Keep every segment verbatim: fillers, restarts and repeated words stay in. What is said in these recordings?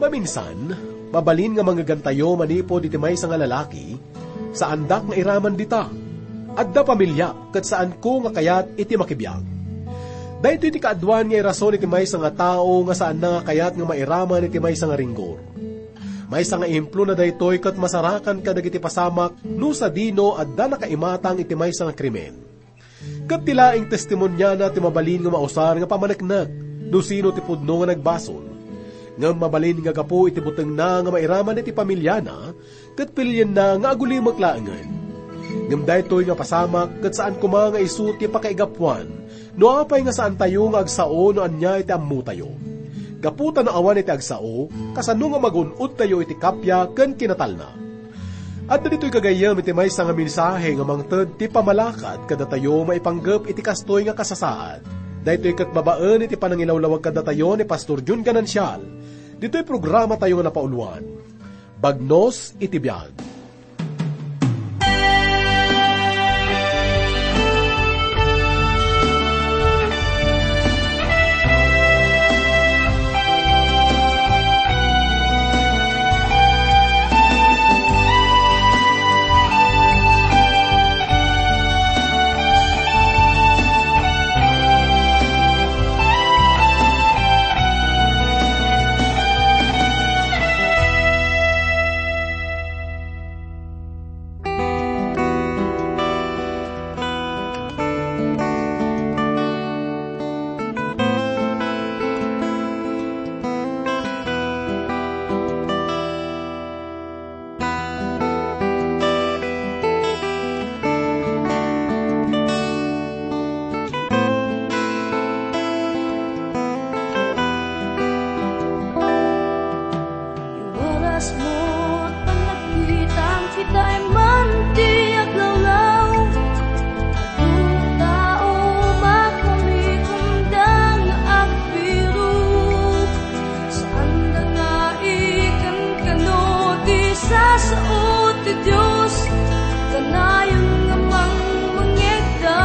Maminsan, mabalin nga mangngegantayo manipud iti maysa nga lalaki, saandak nga iraman dita. Adda pamiliak ket saanko nga kayat iti makibiag. Daytoy ti kaaduan nga irason iti maysa nga tao nga saanna nga kayat nga mairaman iti maysa nga ringgor. Maysa nga ehemplona daytoy ket masarakan kadagiti pasamak no sadino adda nakaimatang iti maysa nga krimen. Ket ti laeng testimoniana ti mabalin nga mausar nga pamaneknek no sino ti pudno nga nagbasol. Ngem mabalin nga gapu iti butengna nga mairaman iti pamiliana, ket pilienna nga agulimek laengen. Ngem daytoy nga pasamak ket saan koma nga isu ti pakaigapuan no apay nga saantayo nga agsao no ania iti ammotayo. Gapu ta no awan iti agsao, kasano nga magun-odtayo iti kappia ken kinatalna? Adda ditoy gagayyem iti maysa nga mensahe nga mangted ti pamalakat kadatayo maipanggep iti kastoy nga kasasaad. Daytoy ket babaen iti panangilawlawag kadatayo ni Pastor Jun Ganancial. Ditoy programa tayo nga napauloan, Bagnos iti Biag. Iwaras mo't panagkitam, kitaem man ti aglawlaw. Adu tao makalikomda nga agbirok. Saanda nga ikankano ti sasao ti Dios, kanayon nga mangmangngegda,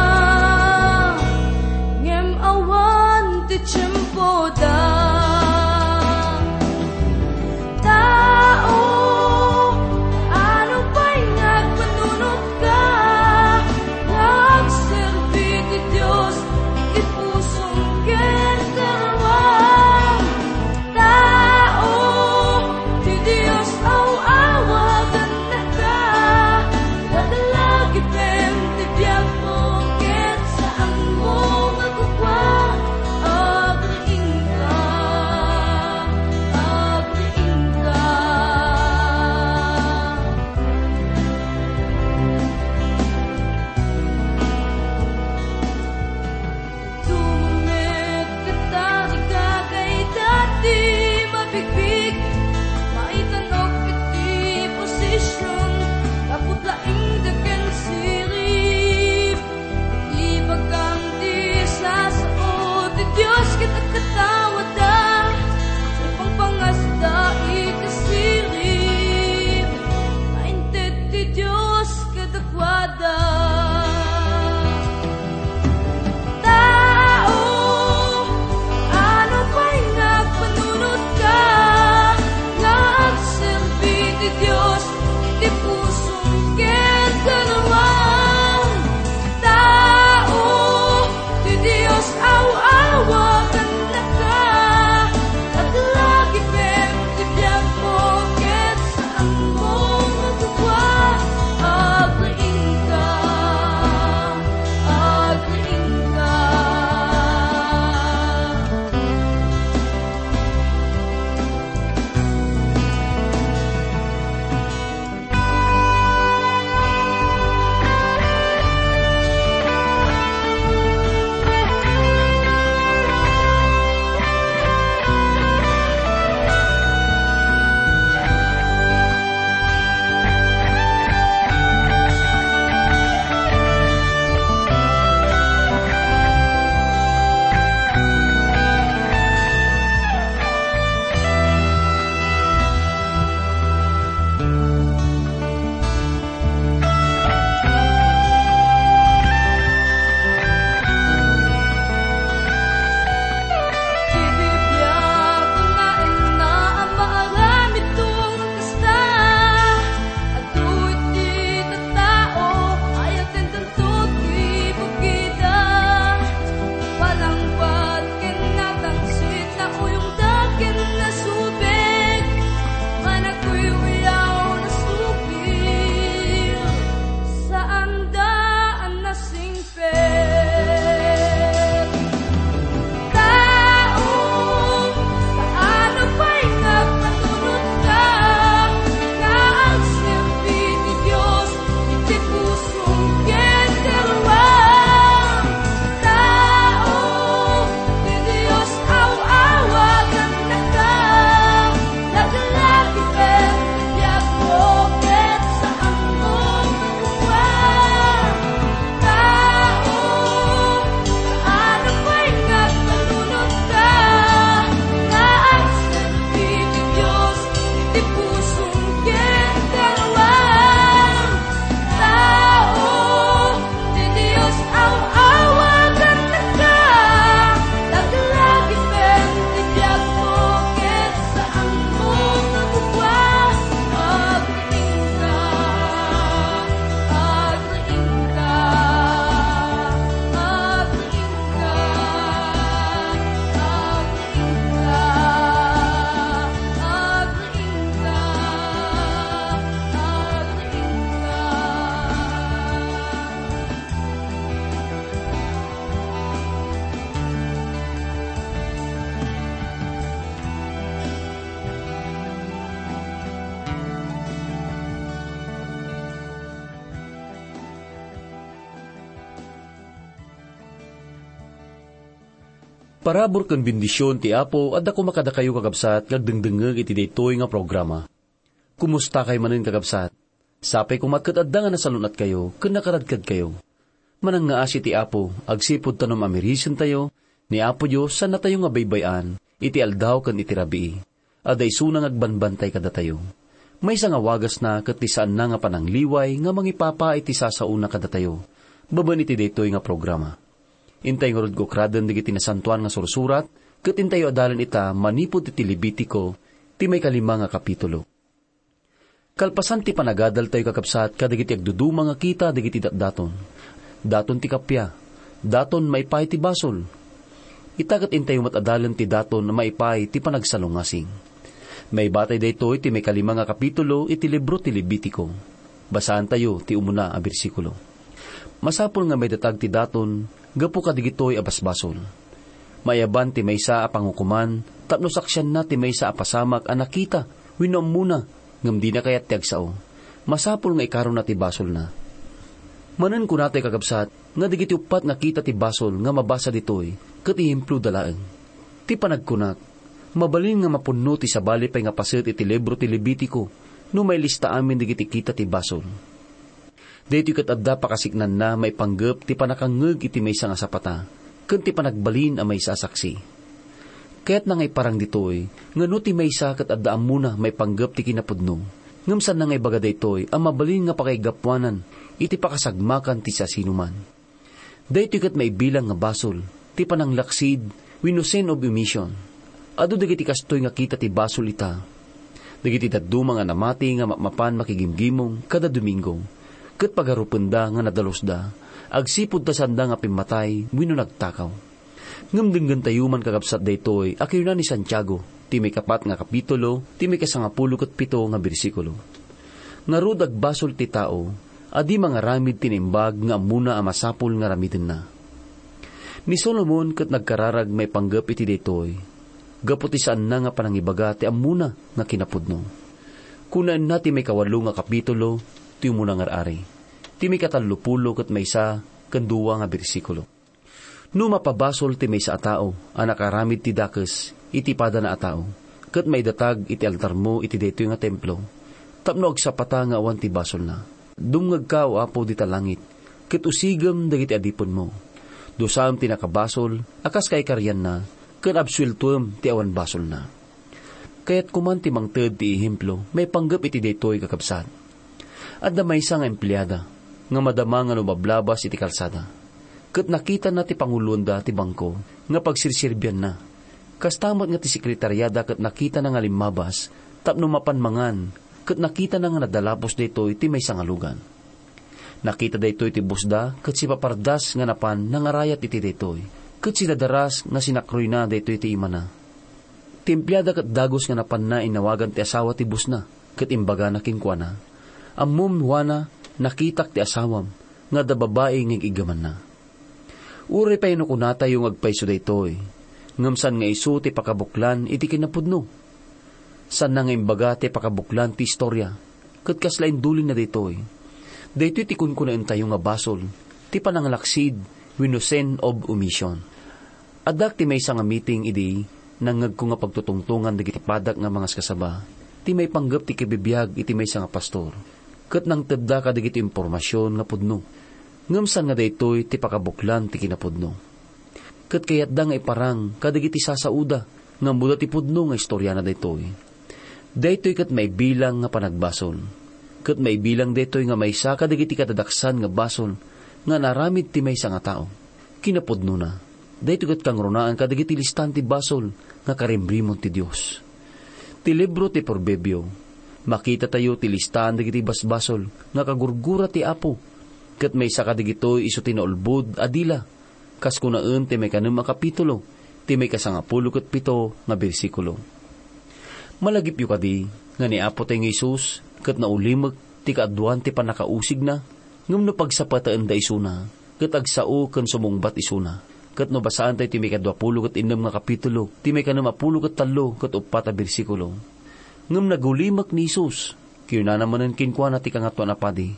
ngem awan ti tiempoda. Tao, ano pay nga agpanunotka nga agserbi ti Dios iti pusom ken karuam? Tao, ti Dios aw-awagennaka, laglagipen ti biagmo ket saanmo nga kukua. Agriingka, agriingka. Tumanged ket tarigagayda ti mabigbig, maitan-ok iti posision, gapu ta inda ken sirib. Ibagam ti sasao ti Dios ket agkataoda, ipangpangasda iti sirib, nainted ti Dios kadakuada. Tao, ano pay nga agpanunotka nga agserbi ti Dios iti pusom ken karuam? Tao, ti Dios aw-awagennaka, laglagipen ti biagmo ket saanmo nga kukua. Agriingka, Parabur ken bendision ti Apo adda koma kadakayo, kakabsat, nga agdengdengngeg iti daytoy nga programa. Kumustakayo manen, kakabsat? Sapay koma ket adda nga nasalun-atkayo ken nakaradkadkayo. Manangngaasi ti Apo agsipud ta no mamirisentayo, ni Apo Dios saannatayo nga baybay-an iti aldaw ken iti rabii. Adda isuna nga agbambantay kadatayo. Maysa nga wagasna ket ti saanna nga panangliway nga mangipapaay ti sasaona kadatayo babaen iti daytoy nga programa. Intay ngarud nga ukraden dagiti nasantoan nga sursurat, ket intayo adalen ita manipud iti Levitico, ti maikalima nga kapitulo. Kalpasan ti panagadaltayo, kakabsat, kadagiti agduduma nga kita dagiti datdaton. Daton ti kappia. Daton maipaay ti basol. Ita ket intayo met adalen ti daton maipaay ti panagsalungasing. Maibatay daytoy ti maikalima nga kapitulo iti libro ti Levitico. Basaantayo ti umuna a bersikulo. Masapul nga maidatag ti daton gapu kadagitoy a basbasol. Maiyaban ti maysa a pangukoman tapno saksianna ti maysa a pasamak a nakita wenno ammona ngem dina kayat ti agsao. Masapul nga ikarona ti basolna. Manen kunatayo, kakabsat, nga dagiti uppat nga kita ti basol nga mabasa ditoy ket ehemploda laeng. Ti panagkunak, mabalin nga mapunno ti sabali pay nga paset iti libro ti Levitico no mailista amin dagiti kita ti basol. Daytoy ket adda pakasiknanna maipanggep ti pannakangngeg iti maysa nga sapata ken ti panagbalin a maysa a saksi. Kayatna nga iparang ditoy nga no ti maysa ket adda ammona maipanggep ti kinapudno, ngem saanna nga ibaga daytoy a mabalin nga pakaigapuanan iti pakasagmakan ti siasinoman. Daytoy ket maibilang nga basol ti pananglaksid wenno sin of omission. Adu dagiti kastoy nga kita ti basol ita. Dagiti dadduma nga namati nga mapmapan makigimgimong kada Domingo, ket pagarupenda nga nadalusda, agsipud ta saanda nga pimmatay wenno nagtakaw. Ngem denggentayo man, kakabsat, daytoy a kinuna ni Santiago, ti maikapat nga kapitulo, ti maikasangapulo ket pito nga bersikulo. Ngarud, agbasol ti tao a di mangaramid ti naimbag nga ammona a masapul nga aramidenna. Ni Solomon ket nagkararag maipanggep iti daytoy, gapu ti saanna nga panangibaga ti ammona nga kinapudno. Kunaenna ti maikawalo nga kapitulo ti umuna nga ar-ari, ti maikatallopulo ket maysa ken dua nga bersikulo. No mapabasol ti maysa a tao a nakaramid ti dakes iti padana a tao, ket maidatag iti altarmo iti daytoy nga templo, tapno agsapata nga awan ti basolna, dumngegka, O Apo, dita langit, ket usigem dagiti adipenmo. Dusaem ti nakabasol a kas kaikarianna, ken absueltoem ti awan basolna. Kayatko man ti mangted ti ehemplo maipanggep iti daytoy, kakabsat. Adda maysa nga empleada nga madama nga lumablabas iti kalsada, ket nakitana ti panguloenda ti bangko nga pagserserbianna. Kasta met nga ti sekretariada ket nakitana nga limmabas tapno mapan mangan, ket nakitana nga nadalapos daytoy ti maysa nga lugan. Nakita daytoy ti bossda ket sipapardas nga napan nangarayat iti daytoy, ket sidadaras nga sinakroyna daytoy ti imana. Ti empleada ket dagus nga napanna innawagan ti asawa ti bossna, ket imbagana kenkuana, "Ammom, Juana, nakitak ti asawam nga adda babai nga ig-iggamanna." Uray pay no kunatayo nga agpayso daytoy, ngem saan nga isu ti pakabuklan iti kinapudno. Saanna nga imbaga ti pakabuklan ti istorya, ket kasla indulinna daytoy. Daytoy ti kunkunaentayo nga basol, ti pananglaksid wenno sin of omission. Addak ti maysa nga meeting idi nangngegko nga pagtutungtongan dagiti padak nga mangaskasaba ti maipanggep ti kibibiag iti maysa nga pastor, ket nangtedda kadagiti impormasion nga pudno, ngem saan nga daytoy ti pakabuklan ti kinapudno. Ket kayatda nga iparang kadagiti sasaoda nga ammoda ti pudno nga istoriana daytoy. Daytoy ket maibilang nga panagbasol. Ket maibilang daytoy nga maysa kadagiti kadadaksan nga basol nga naaramid ti maysa nga tao. Kinapudnona, daytoy ket kangrunaan kadagiti listan ti basol nga karimrimon ti Dios. Ti libro ti Proverbio, makitatayo ti listaan dagiti basbasol nga kagurgura ti Apo, ket maysa kadagitoy isu ti naulbod a dila, kas kunaen ti maikanem a kapitulo ti maikasangapulo ket pito nga bersikulo. Malagipyo kadi nga ni Apotayo nga Jesus ket naulimek ti kaaduan ti pannakausigna, ngem no pagsapataenda isuna, ket agsao ken sumungbat isuna. Ket no basaantayo ti maikaduapulo ket innem nga kapitulo, ti maikanem a pulo ket tallo ket uppat a bersikulo. Ngem nagulimek ni Jesus, kinunana manen kenkuana ti Kangatoan a Padi,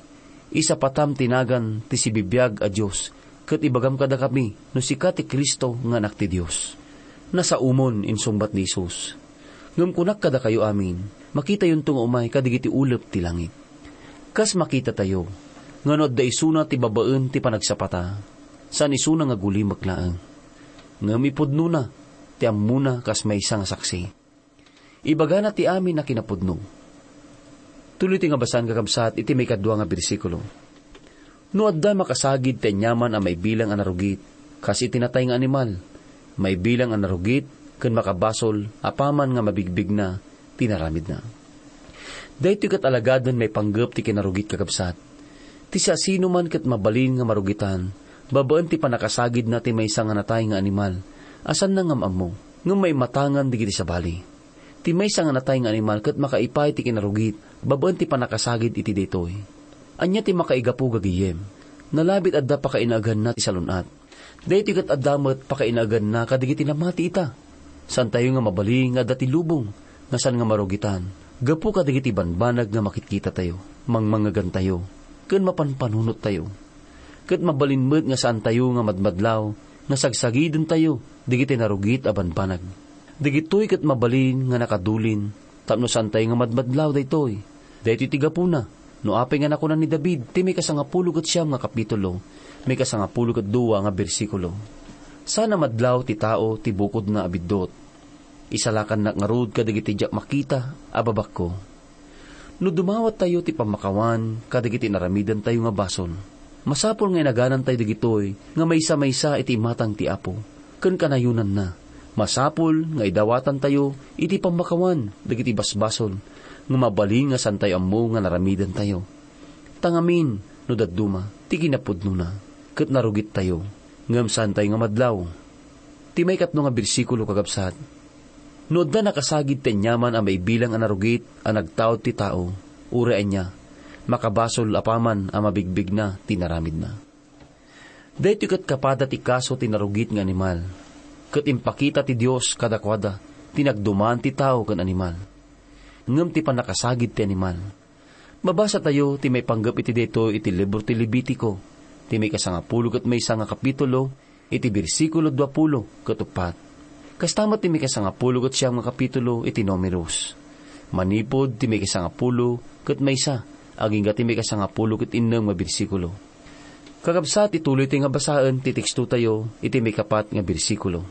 "Isapatam ti nagan ti sibibiag a Dios, ket ibagam kadakami no sika ti Cristo nga Anak ti Dios." Nasaomon, insungbat ni Jesus. Ngem kunak kadakayo amin, makitayonto nga umay kadigiti ulep ti langit. Kas makitatayo, nga no adda isuna ti babaen ti panagsapata, saan isuna nga gulimek laeng. Ngem ipudnona ti ammona kas maysa nga saksi. Ibagana ti amin a kinapudno. Tuloy ti nga basan, kakabsat, iti maikadua nga bersikulo. No adda makasagid ti aniaman a maibilang a narugit, kas iti natay nga animal, maibilang a narugit ken makabasol apaman nga mabigbigna ti naramidna. Daytoy ket alagaden maipanggep ti kinarugit, kakabsat. Ti siasinoman ket mabalin nga marugitan babaen ti pannakasagidna ti maysa nga natay nga animal a saanna nga maammo, ngem maimatangan dagiti sabali. Ti maysa nga natay nga animal ket makaipay ti kinarugit babaen ti pannakasagid iti daytoy. Ania ti makaigapu gagayem? Nalabit adda pakainaganna ti salun-at. Daytoy ket adda met pakainaganna kadagiti namati ita. Saantayo nga mabalin nga adda ti lubong nga saan nga marugitan gapu kadagiti banbanag nga makitkitatayo, mangmangngegantayo, ken mapanpanunottayo. Ket mabalin met nga saantayo nga madmadlaw nga sagsagidentayo dagiti narugit a banbanag. Dagitoy ket mabalin nga nakadulin tapno saantayo nga madmadlaw daytoy. Daytoy ti gapuna no apay nga nakuna ni David ti maikasangapulo ket siam nga kapitulo, maikasangapulo ket dua nga bersikulo, "Saan a madlaw ti tao ti bukodna a biddut. Isalakannak ngarud kadagiti diak makita a babakko." No dumawattayo ti pammakawan kadagiti inaramidentayo nga basol, masapul nga inaganantayo dagitoy nga maysa-maysa iti imatang ti Apo ken kanayonanna. Masapul nga idawatantayo iti pammakawan dagiti basbasol nga mabalin nga saantayo ammo nga naramidentayo. Ta ngamin, no dadduma ti kinapudnona, ket narugittayo, ngem saantayo nga madlaw. Ti maikatlo nga bersikulo, kakabsat, "No adda nakasagid ti aniaman a maibilang a narugit a nagtaud ti tao, uray ania, makabasol apaman a mabigbigna ti naramidna." Daytoy ket kapada ti kaso ti narugit nga animal, ket impakita ti Dios kadakuada ti nagduman ti tao ken animal, ngem ti pannakasagid ti animal. Mabasatayo ti maipanggep iti daytoy iti libro ti Levitico, ti maikasangapulo ket maysa nga kapitulo, iti bersikulo duapulo ket uppat. Kasta met ti maikasangapulo ket siam nga kapitulo iti Numeros, manipud ti maikasangapulo ket maysa agingga ti maikasangapulo ket innem nga bersikulo. Kakabsat, ituloytayo nga basaen ti tekstotayo iti maikapat nga bersikulo.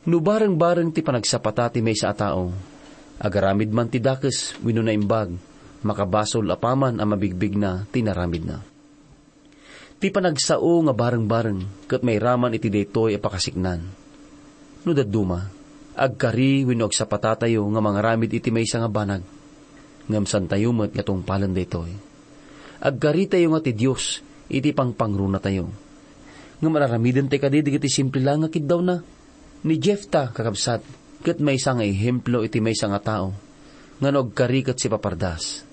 No bareng-bareng ti panagsapata ti maysa a tao, agaramid man ti dakes wenno naimbag, makabasol apaman a mabigbigna ti naramidna. Ti panagsao nga bareng-bareng ket mairaman iti daytoy a pakasiknan. No dadduma, agkari wenno agsapatatayo nga mangaramid iti maysa nga banag, ngem saantayo met nga tungpalen daytoy. Agkaritayo nga ti Dios iti pangpangrunatayo. Ngem ar-aramidentayo kadi dagiti simple la nga kiddawna? Ni Jefta, kakabsat, ket maysa nga ehemplo iti maysa nga tao nga no agkari ket sipapardas.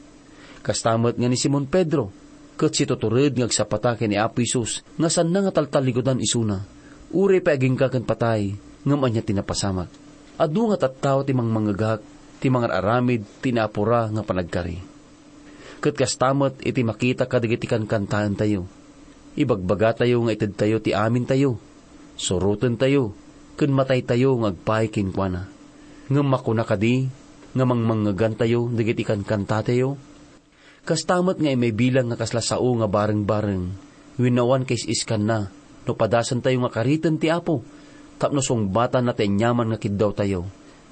Kasta met nga ni Simon Pedro, ket situtured nga agsapata ken ni Apo Jesus nga saanna nga taltallikudan isuna, uray pay agingga ken patay, ngem ania ti napasamak. Adu nga tattao ti mangmangngegak, ti mangar-aramid ti naapura nga panagkari. Ket kasta met iti makita kadagiti kankantaentayo. Ibagbagatayo nga itedtayo ti amintayo, surotentayo, ken mataytayo nga agpaay kenkuana. Ngem makuna kadi nga mangmangngegantayo dagiti kankantatayo? Kasta met nga maibilang nga kasla sao nga bareng-bareng wenno awan kais-iskanna no padasentayo nga kariten ti Apo tapno sungbatanna ti aniaman nga kiddawtayo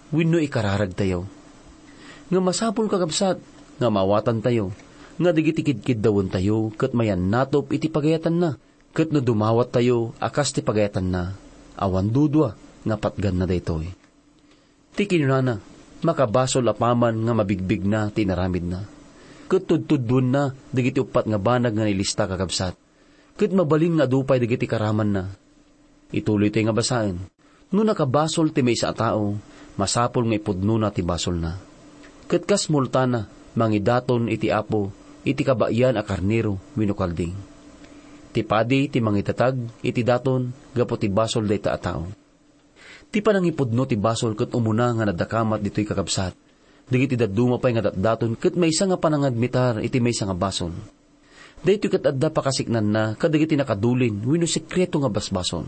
wenno ikararagtayo. Ngem masapul, kakabsat, nga maawatantayo nga dagiti kidkiddawentayo ket mayannatop iti pagayatanna, ket no dumawattayo a kas ti pagayatanna, awan dudua nga patganna daytoy. Ti kinunana, makabasol apaman nga mabigbigna ti inaramidna, ket tudtudduenna dagiti uppat nga banag nga nailista, kakabsat, ket mabalin nga adu pay dagiti karamanna. Ituloytayo nga basaen. No nakabasol ti maysa a tao, masapul nga ipudnona ti basolna. Ket kas multana, mangidaton iti Apo iti kabaean a karnero wenno kalding. Ti padi ti mangidatag iti daton gapu ti basol dayta a tao. Ti panangipudno ti basol ket umuna nga nadakamat ditoy, kakabsat. Dagiti dadduma pay nga datdaton ket maysa nga panangadmitar iti maysa nga basol. Daytoy ket adda pakasiknanna kadagiti nakadulin wenno sekreto nga basbasol.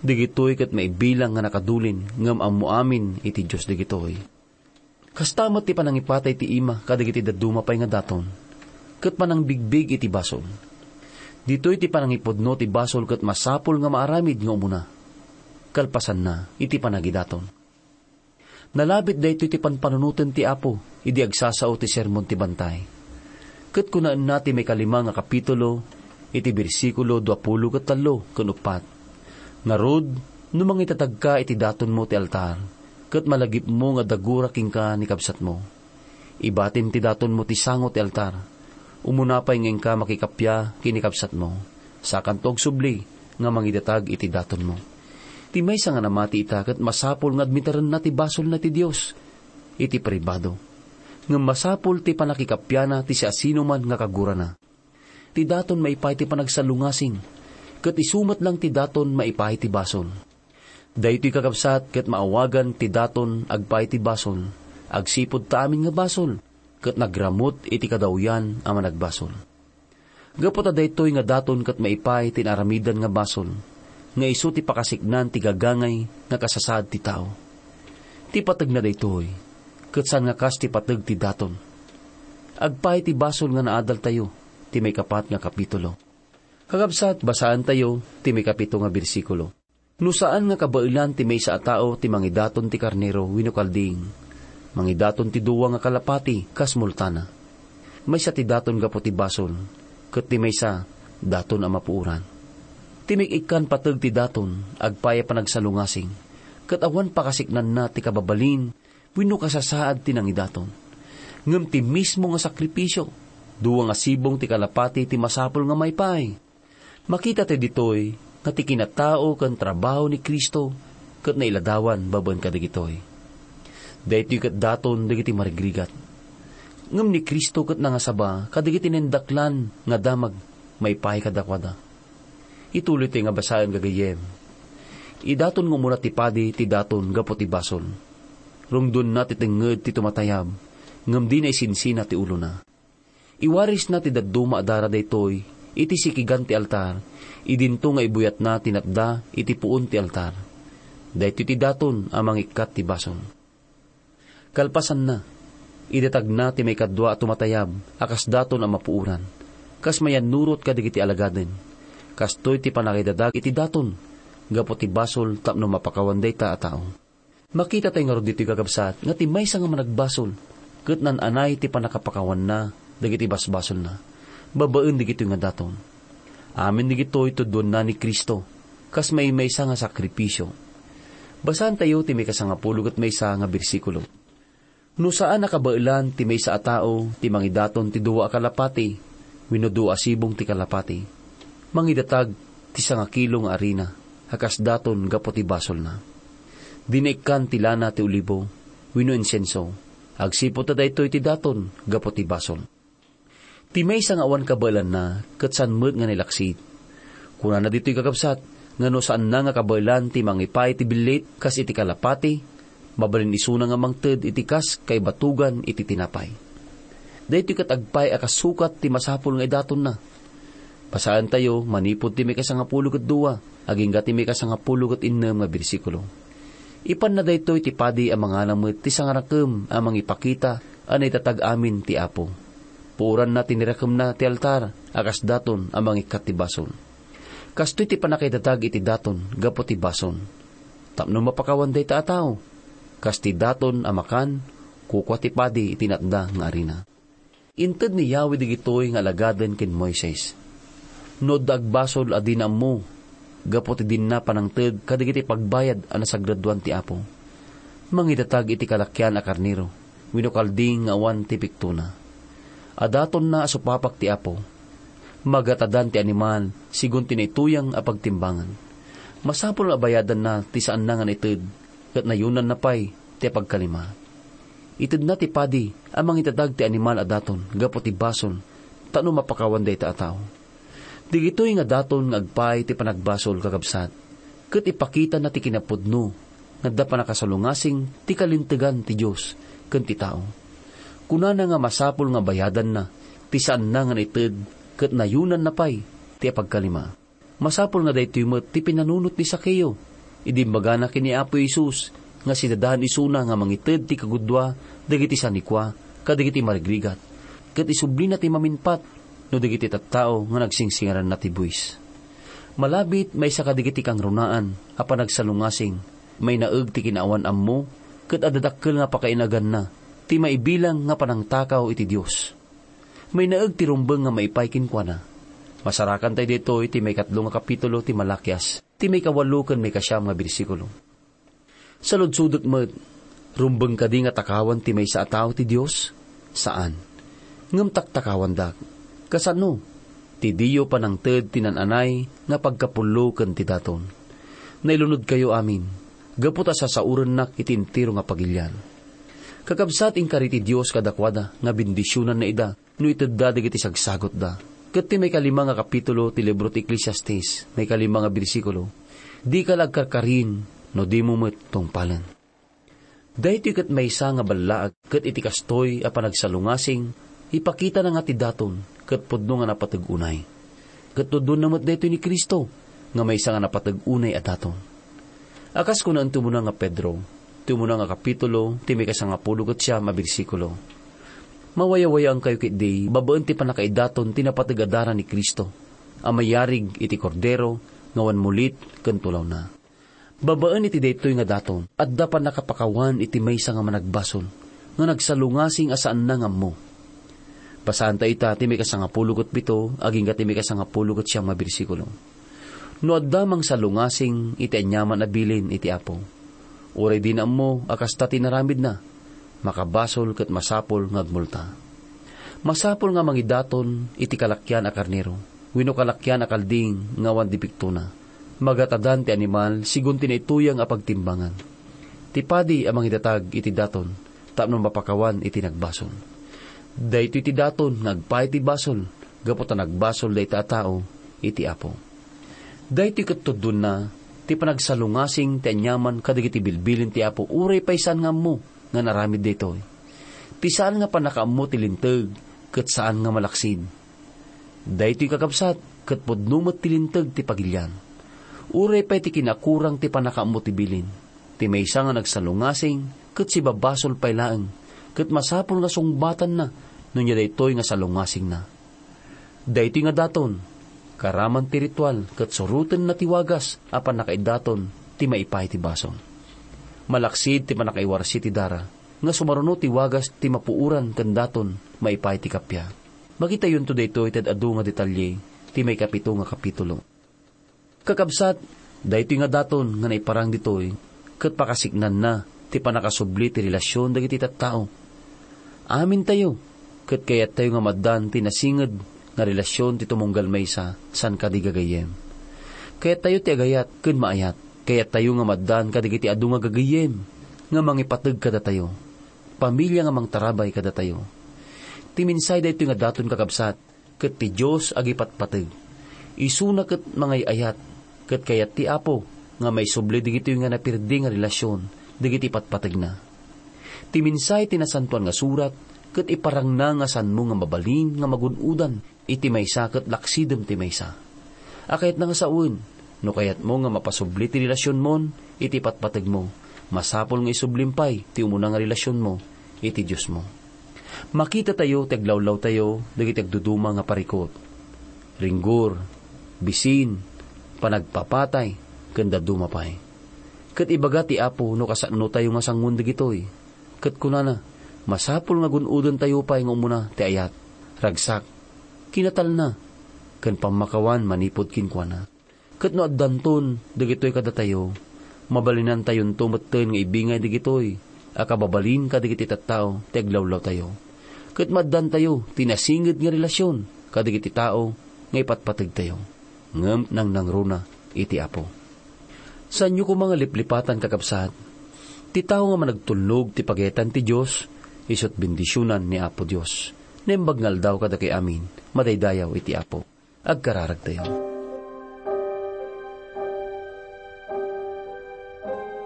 Dagitoy ket maibilang nga nakadulin ngem ammo amin iti Dios dagitoy. Kasta met ti panangipatay ti ima kadagiti dadduma pay nga daton, ket panangbigbig iti basol. Ditoy ti panangipudno ti basol ket masapul nga maaramid nga umuna, kalpasanna iti panagidaton. Nalabit daytoy ti panpanunoten ti Apo idi agsasao ti Sermon ti Bantay. Ket kunaenna ti maikalima nga kapitulo iti bersikulo duapulo ket tallo ken uppat, "Ngarud, no mangidatagka iti datonmo ti altar, ket malagipmo nga dagura kenka ni kabsatmo, ibatim ti datonmo ti sango ti altar. Umuna pay nga inka makikappia ken ni kabsatmo, sakanto agsubli nga mangidatag iti datonmo." Ti maysa nga namati ita ket masapul nga admiterenna ti basolna iti Dios iti pribado. Ngem masapul ti pannakikappiana ti siasinoman nga kagurana. Ti daton maipaay ti panagsalungasing, ket isu met lang ti daton maipaay ti basol. Daytoy, kakabsat, ket maawagan ti daton agpaay ti basol, agsipud ta amin nga basol, ket nagramut iti kadawyan a managbasol. Gapu ta daytoy nga daton ket maipaay ti naaramidan nga basol, nga isu ti pakasiknan ti gagangay nga kasasaad ti tao. Ti pategna daytoy, ket saan nga kas ti pateg ti daton. Agpaay ti basol nga naadaltayo ti maikapat nga kapitulo. Kakabsat, basaentayo ti maikapito nga bersikulo. No saan nga kabaelan ti maysa a tao ti mangidaton ti karnero wenno kalding, mangidaton ti dua nga kalapati kas multana. Maysa ti daton gapu ti basol, ket ti maysa, daton a mapuoran. Ti mik-ikkan pateg ti daton, agpaay a panagsalungasing, ket awan pakasiknanna ti kababalin wenno kasasaad ti nangidaton. Ngem ti mismo nga sakripisio, dua nga sibong ti kalapati ti masapul nga maipaay. Makita tayo ditoy nga ti kinatao ken trabaho ni Cristo ket nailadawan babaen kadagitoy. Daytoy ket daton dagiti marigrigat. Ngem ni Cristo ket nangasaba kadagiti naindaklan nga damag maipaay kadakuada. Ituloy tayo nga basaen, gagayyem. Idaton nga umuna ti padi ti daton gapu ti basol. Rungdonna ti tengnged ti tumatayab, ngem dina isinsina ti ulona. Iwarisna ti dadduma a dara daytoy iti sikigan ti altar, idinto nga ibuyatna ti natda iti puon ti altar. Daytoy ti daton a mangikkat ti basol. Kalpasanna, idatagna ti maikadua a tumatayab a kas daton a mapuoran, kas mayannurot kadagiti alagaden. Kastoy ti pannakaidadag iti daton gapu ti basol tapno mapakawan dayta a tao. Makita tayo ngarud ditoy, kakabsat, nga ti maysa nga managbasol ket naan-anay ti pannakapakawanna dagiti basbasolna babaen dagitoy nga daton. Amin dagitoy tuddoanna ni Cristo kas maymaysa nga sakripisio. Basaentayo ti maikasangapulo ket maysa nga bersikulo. No saan a kabaelan ti maysa a tao ti mangidaton ti dua a kalapati wenno dua a sibong ti kalapati, mangidatag ti sangakilo nga arina a kas daton gapu ti basolna. Dina ikkan ti lana ti olibo wenno insenso, agsipud ta daytoy ti daton gapu ti basol. Ti maysa nga awan kabaelanna ket saan met nga nailaksid. Kunana ditoy, kakabsat, nga no saanna nga kabaelan ti mangipaay ti billit kas iti kalapati, mabalin isuna nga mangted iti kas kaibatugan iti tinapay. Daytoy ket agpaay a kasukat ti masapul nga idatonna. Basaentayo manipud ti maikasangapulo ket dua agingga ti maikasangapulo ket innem nga bersikulo. Ipanna daytoy ti padi a mangala met ti sangarakem a mangipakita a naidatag amin ti Apo. Puoranna ti nirakemna ti altar a kas daton a mangikkat ti basol. Kastoy ti pannakaidatag iti daton gapu ti basol, tapno mapakawan dayta a tao. Kas ti daton a makan, kukua ti padi iti natda nga arina. Inted ni Yahweh dagitoy nga alagaden ken Moises. No adda agbasol a dina ammo gapu ti dinna panangted kadagiti pagbayad a nasagradoan ti Apo, mangidatag iti kalakian a karnero wenno kalding nga awan ti piktona. Adatonna a supapak ti Apo. Magatadan ti animal sigun ti naituyang a pagtimbangan. Masapul a bayadanna ti saanna nga naited ket nayunanna pay ti pagkalima. Itedna ti padi a mangidatag ti animal a daton gapu ti basol tapno mapakawan dayta a tao. Dagitoy nga daton nga agpaay ti panagbasol, kakabsat, ket ipakitana ti kinapudno nga adda pannakasalungasing ti kalintegan ti Dios ken ti tao. Kunana nga masapul nga bayadanna ti saanna nga naited ket nayunanna pay ti apagkalima. Masapul nga daytoy met ti pinanunot ni Zaqueo idi imbagana ken ni Apo Jesus nga sidadaan isuna nga mangited ti kagudua dagiti sanikua kadagiti marigrigat, ket isublina ti maminpat no dagiti tattao nga nagsingsingaranna ti buis. Malabit, maysa kadagiti kangrunaan a panagsalungasing, mainaeg ti kinaawan ammo, ket adda dakkel nga pakainaganna ti maibilang nga panangtakaw iti Dios. Mainaeg ti rumbeng nga maipay kenkuana. Masarakan tayo ditoy ti maikatlo nga kapitulo ti Malakias, ti maikawalo ken maikasiam nga bersikulo. Saludsodek met, rumbeng kadi nga takawan ti maysa a tao ti Dios? Saan. Ngem taktakawandak. Kasano? Ti diyo panangted ti nan-anay nga pagkapullo ken ti daton. Nailunodkayo amin, gapu ta sasaorennak iti entero nga pagilian. Kakabsat, inkari ti Dios kadakuada nga bendisionanna ida no itedda dagiti sagsagutda. Ket ti maikalima nga kapitulo ti libro ti Eclesiastes, maikalima nga bersikulo, "Dika la agkarkarin no dimo met tungpalen." Daytoy ket maysa nga ballaag, ket iti kastoy a panagsalungasing, ipakitana nga ti daton ket pudno nga napateg unay. Ket tudonna met daytoy ni Cristo nga maysa nga napateg unay a daton. A kas kunaen ti umuna nga Pedro, ti umuna nga kapitulo, ti maikasangapulo ket siam a bersikulo, "Mawayawayaankayo ketdi babaen ti pannakaidaton ti napateg a dara ni Cristo, a mayarig iti Kordero nga awan mulit ken tulawna." Babaen iti daytoy nga daton, adda pannakapakawan iti maysa nga managbasol nga nagsalungasing a saanna nga ammo. Basaanta ita ti maikasangapulo ket pito agingga ti maikasangapulo ket siam a bersikulo. No adda mangsalungasing iti aniaman a bilin iti Apo, uray dina ammo a kasta ti inaramidna, makabasol ket masapul nga agmulta. Masapul nga mangidaton iti kalakian a karnero wenno kalakian a kalding nga awan dipektona. Magatadan ti animal sigun ti naituyang a pagtimbangan. Ti padi a mangidatag iti daton tapno mapakawan iti nagbasol. Daytoy ti daton nga agpaay ti basol gapu ta nagbasol dayta a tao iti Apo. Daytoy ket tudonna ti panagsalungasing ti aniaman kadagiti bilbilin ti Apo uray pay saan nga ammo nga naramid daytoy. Ti saan nga pannakaammo ti linteg ket saan nga malaksid. Daytoy, kakabsat, ket pudno met ti linteg ti pagilian. Uray pay ti kinakurang ti pannakaammo ti bilin, ti maysa nga nagsalungasing ket sibabasol pay laeng, ket masapul nga sungbatanna no ania daytoy nga salungasingna. Daytoy nga daton, karaman ti ritual ket surotenna ti wagas a pannakaidaton ti maipaay ti basol. Malaksid ti pannakaiwarsi ti dara, nga sumaruno ti wagas ti mapuoran ken daton maipaay ti kappia. Makitayonto daytoy ti ad-adu nga detalye ti maikapito nga kapitulo. Kakabsat, daytoy nga daton nga naiparang ditoy ket pakasiknanna ti pannakasubli ti relasion dagiti tattao. Amintayo ket kayattayo nga maaddan ti nasinged nga relasion ti tumunggal maysa saan kadi gagayyem. Kayattayo ti agayat ken maayat. Kayattayo nga maaddan kadagiti adu nga gagayyem nga mangipateg kadatayo, pamilia nga mangtarabay kadatayo. Ti mensahe daytoy nga daton, kakabsat, ket ti Dios agipatpateg. Isuna ket mangay-ayat, ket kayat ti Apo nga maisubli dagitoy nga naperdi nga relasion dagiti patpategna. Ti mensahe ti Nasantoan nga Surat ket iparangna nga saanmo nga mabalin nga magun-odan iti maysa ket laksidem ti maysa. A kayatna nga sawen, no kayatmo nga mapasubli ti relasionmon iti patpategmo, masapul nga isublim pay ti umuna nga relasionmo iti Diosmo. Makitatayo ti aglawlawtayo dagiti agduduma nga parikut, ringgor, bisin, panagpapatay, ken dadduma pay. Ket ibaga ti Apo no kasanotayo nga sangoen dagitoy. Ket kunana, masapul nga gun-odentayo pay nga umuna ti ayat, ragsak, kinatalna, ken pammakawan manipud kenkuana. Ket no addanton dagitoy kadatayo, mabalinantayonto metten nga ibingay dagitoy a kababalin kadagiti tattao ti aglawlawtayo. Ket maaddantayo ti nasinged nga relasion kadagiti tao nga ipatpategtayo. Ngem nangnangruna iti Apo. Saanyo koma nga liplipatan, kakabsat, ti tao nga managtulnog ti pagayatan ti Dios, isut' bendisionan ni Apo Dios. Naimbag nga aldaw kadakay amin, madaydayaw iti Apo. Agkararagtayo.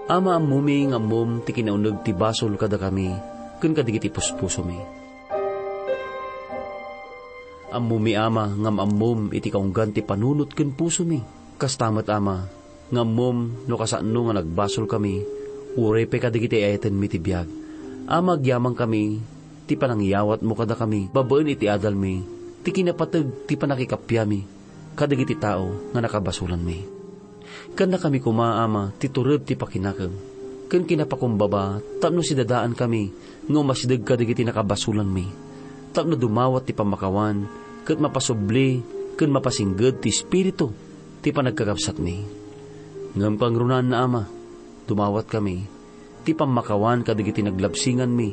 Ama, ammomi nga ammom ti kinauneg ti basol kadakami ken kadagiti puspusomi. Ammomi, Ama, nga am-ammom iti kaunggan ti panunot ken pusomi. Kasta met, Ama, nga ammom no kasano nga nagbasolkami, uray pay kadagiti ayatenmi ti biag. Ama, agyamankami ti panangyawatmo kadakami babaen iti adalmi, ti kinapateg ti pannakikappiami kadagiti tao nga nakabasolanmi. Kannakami koma, Ama, ti tured ti pakinakem ken kinapakumbaba tapno sidadaankami nga umasideg kadagiti nakabasolanmi, tapno dumawat ti pammakawan ket mapasubli ken mapasingged ti Espiritu ti panagkakabsatmi. Ngem kangrunaanna, Ama, dumawatkami ti pammakawan kadagiti naglabsinganmi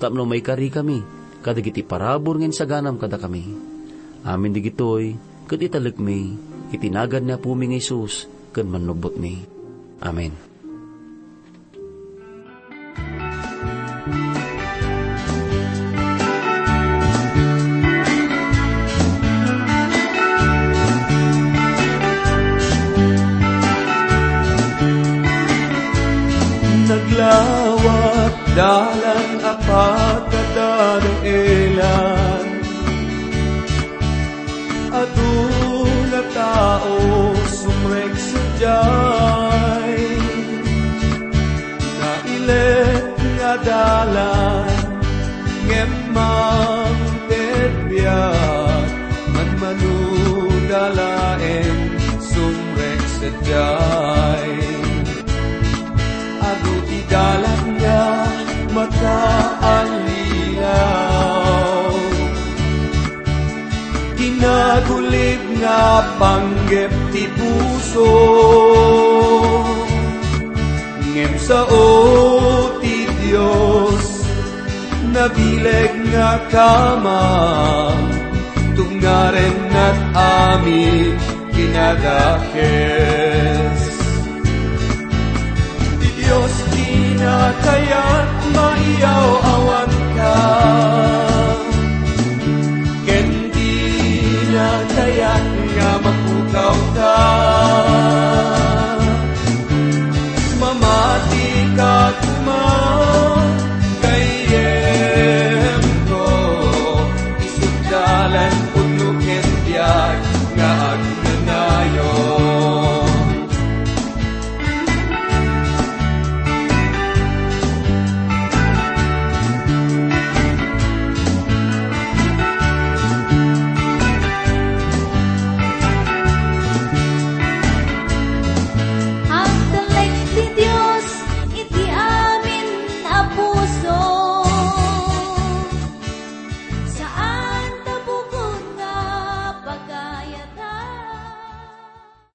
tapno maikarikami kadagiti parabur nga insaganam kadakami. Amin dagitoy ket italekmi iti nagan ni Apomi nga Jesus ken Mannubbotmi. Amen. Naglawat dalan a pagkadadaelan. Aduna tao sumrek sadiay, nailet nga dalan, ngem mangted biag, manmanoda laeng sumrek sadiay. Adu ti dalan nga makaallilaw. Ti nagulib nga panggep ti puso, ngem sao ti Dios, nabileg nga kamang, tungaren nat amin kinadakes. Ti Dios, dina kayat maiyaw-awanka, ken dina kayat nga mapukawka.